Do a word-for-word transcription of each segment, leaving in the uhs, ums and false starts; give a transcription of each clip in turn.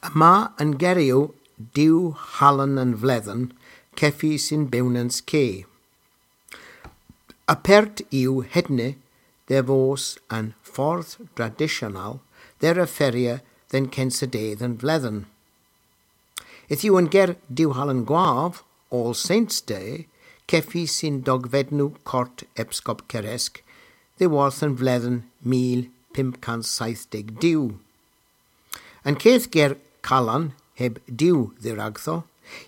Yma an geryow Diw Halen an Vledhen kevys yn bewnans ke. Apert yw hedna dhe vos an fordh tradisyonel dhe referya dhe'n kynsa dydh an vledhen. Yth yw an ger Diw Halen Gwav, All Saints' Day, kevys yn dogvednow kort epskop Keresk, dhyworth an vledhen mil pymp kans seyth deg dew. An keth ger Kalan heb Diw dheragdho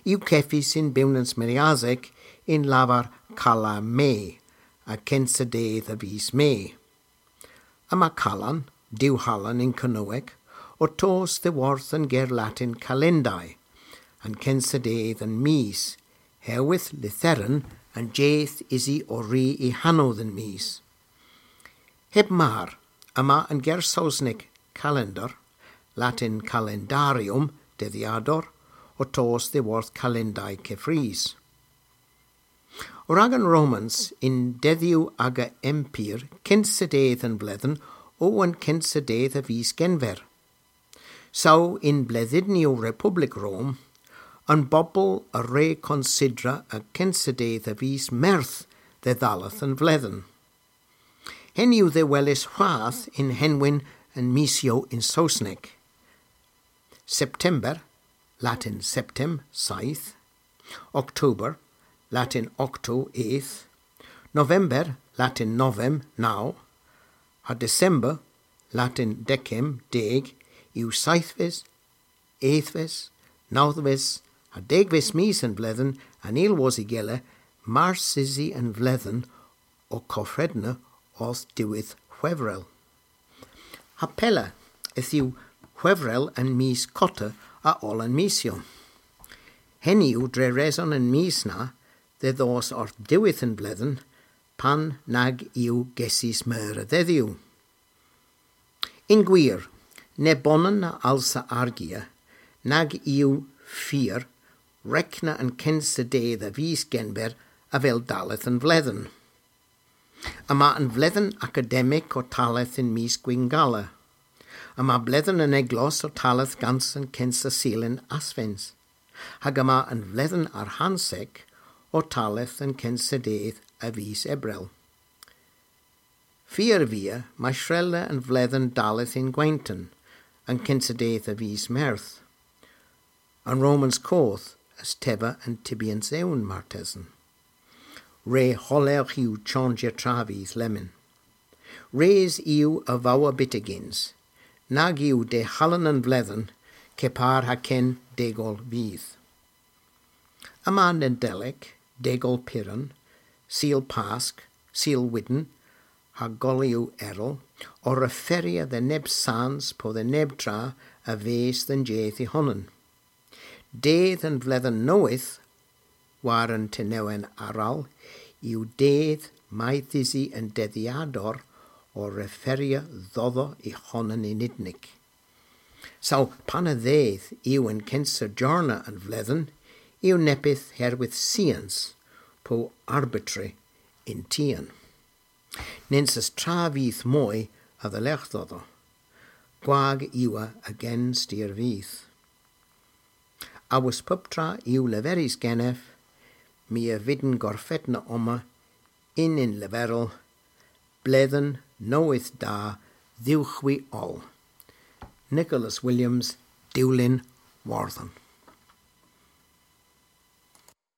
yw kevys yn bewnans Meryasek yn lavar Kala Me, a kynsa dydh a vis Me. Yma Kalan, Diw Halen yn Kernewek, ow tos dhyworth an ger Latin Calendæ, an kynsa dydh an mis, herwydh lytheren an jydh usi ow ri y hanow dhe'n mis. Heb mar, yma an ger Sowsnek calendar, Latin calendarium, dydhyador, ow tos dhyworth Calendæ keffrys. Rag an Romans, yn dedhyow aga empyr, kynsa dydh an vledhen o an kynsa dydh a vis Genver. Saw yn bledhynnyow Republik Rom, an bobel a wre konsidra an kynsa dydh a vis Meurth dhe dhalleth an vledhen. Henn yw dhehwelys hwath yn henwyn an misyow yn Sowsnek. September, Latin septem, seyth. October, Latin octo, eth. November, Latin novem, naw. Ha December, Latin decem, deg, yw seythves, ethves, nawdhves, ha degves mis an vledhen, an eyl wosa gila, mars usi an vledhen, ow kofredna orth diwedh Hwevrel. Ha pella, yth yw Hwevrel an mis kotta a oll an misyow. Henn yw dre reson an mis na dhe dhos orth diwedh an vledhen, pan nag yw gesys meur a dhedhyow. Yn gwir, nebonan a alsa argya nag yw fur rekna an kynsa dydh a vis Genver avel dalleth an vledhen. Yma an vledhen akademik ow talleth yn mis Gwynngala. Yma bledhen an eglos ow talleth gans an kynsa sul yn Asvens. Hag yma an vledhen arghantek ow talleth an kynsa dydh a vis Ebrel. Fur via may shrella an vledhen dalleth yn gwenton, an kynsa dydh a vis Meurth. An Romans koth a's teva an tybyans ewn martesen. Re holewgh yw chonjya travyth lemmyn. Res yw a vowa byttegyns, nag yw dehalen an vledhen kepar ha ken degol vyth. Yma Nadelik, degol Piran, Sul Pask, Sul Wydn, ha golyow erel, ow referya dhe neb sans po dhe neb tra a ves dhe'n jydh y honan. Dydh an vledhen nowydh, war an tenewen arall, yw dydh mayth usi an dedhyador ow referya dhodho y honan yn unnik. Saw pan a dhydh yw an kynsa jorna an vledhen, yw neppyth herwydh sians po arbitrary yn tien. Nyns eus travyth moy a dhalergh dhodho. Gwag yw ev a gen styr vyth. Awos puptra yw leverys genev, my a vydn gorfenna omma yn unn leverel, bledhen nowydh da dhywgh hwi oll. Nicholas Williams, Dewlin Wardhan.